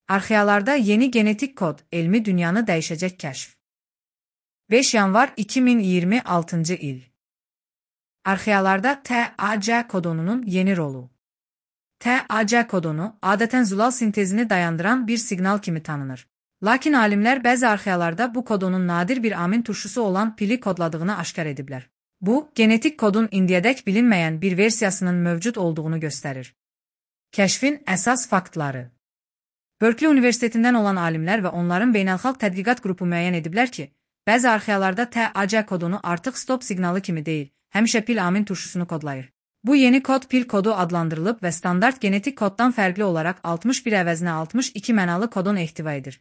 Arxealarda yeni genetik kod, elmi dünyanı dəyişəcək kəşf. 5 yanvar 2026-cı il. Arxealarda TAC kodonunun yeni rolu. TAC kodonu adətən zulal sintezini dayandıran bir siqnal kimi tanınır. Lakin alimlər bəzi arxealarda bu kodonun nadir bir amin turşusu olan pili kodladığını aşkar ediblər. Bu, genetik kodun indiyədək bilinməyən bir versiyasının mövcud olduğunu göstərir. Kəşfin əsas faktları. Berkeley Universitetindən olan alimlər və onların beynəlxalq tədqiqat qrupu müəyyən ediblər ki, bəzi arxealarda TAC kodonu artıq stop siqnalı kimi deyil, həmişə pil amin turşusunu kodlayır. Bu yeni kod pil kodu adlandırılıb və standart genetik koddan fərqli olaraq 61 əvəzinə 62 mənalı kodon ehtiva edir.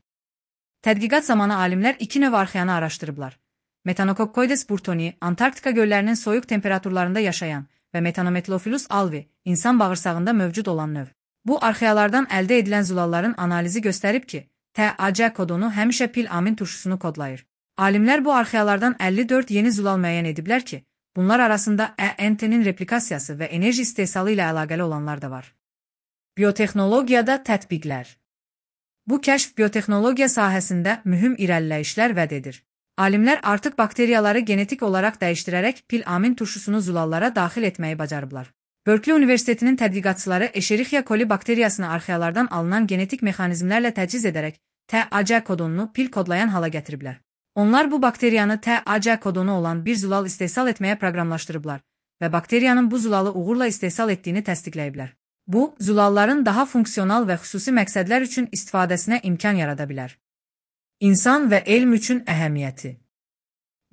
Tədqiqat zamanı alimlər 2 növ arxeanı araşdırıblar. Metanococcus burtonii, Antarktika göllərinin soyuq temperaturlarında yaşayan və Metanometlophyllus alvi, insan bağırsağında mövcud olan növ. Bu arxealardan əldə edilən zulalların analizi göstərib ki, TAC kodonu həmişə pil amin turşusunu kodlayır. Alimlər bu arxealardan 54 yeni zulal müəyyən ediblər ki, bunlar arasında ENT-nin replikasiyası və enerji istehsalı ilə əlaqəli olanlar da var. Biotexnologiyada tətbiqlər. Bu kəşf biotexnologiya sahəsində mühüm irəliləyişlər vəd edir. Alimlər artıq bakteriyaları genetik olaraq dəyişdirərək pil amin turşusunu zulallara daxil etməyi bacarıblar. Berkeley Universitetinin tədqiqatçıları Escherichia coli bakteriyasını arxealardan alınan genetik mexanizmlərlə təchiz edərək TAC kodonunu pil kodlayan hala gətiriblər. Onlar bu bakteriyanı TAC kodonu olan bir zulal istehsal etməyə proqramlaşdırıblar və bakteriyanın bu zulalı uğurla istehsal etdiyini təsdiqləyiblər. Bu, zulalların daha funksional və xüsusi məqsədlər üçün istifadəsinə imkan yarada bilər. İnsan və elm üçün əhəmiyyəti.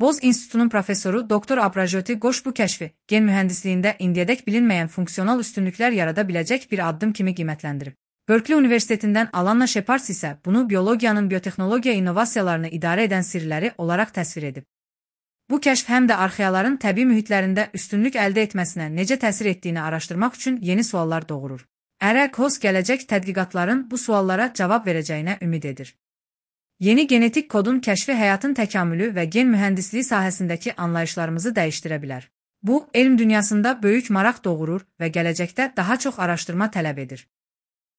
Boz İnstitutunun professoru Dr. Abrajoti Qoş bu kəşfi gen mühəndisliyində indiyədək bilinməyən funksional üstünlüklər yarada biləcək bir addım kimi qiymətləndirib. Berkeley Universitetindən Alanna Shepard isə bunu biologiyanın biotexnologiya innovasiyalarını idarə edən sirləri olaraq təsvir edib. Bu kəşf həm də arxeaların təbii mühitlərində üstünlük əldə etməsinə necə təsir etdiyini araşdırmaq üçün yeni suallar doğurur. EREC-HOS gələcək tədqiqatların bu suallara cavab verəcəyinə ümid edir. Yeni genetik kodun kəşfi həyatın təkamülü və gen mühəndisliyi sahəsindəki anlayışlarımızı dəyişdirə bilər. Bu, elm dünyasında böyük maraq doğurur və gələcəkdə daha çox araşdırma tələb edir.